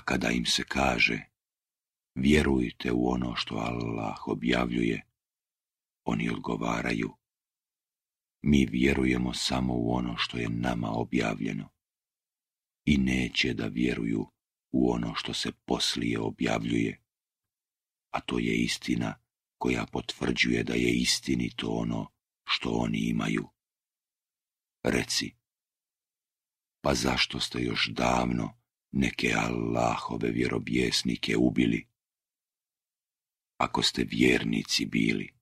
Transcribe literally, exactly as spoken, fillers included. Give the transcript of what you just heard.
kada im se kaže vjerujte u ono što Allah objavljuje, oni odgovaraju mi vjerujemo samo u ono što je nama objavljeno i neće da vjeruju u ono što se poslije objavljuje, a to je istina koja potvrđuje da je istinito ono što oni imaju. Reci, pa zašto ste još davno neke Allahove vjerovjesnike ubili? Ako ste vjernici bili,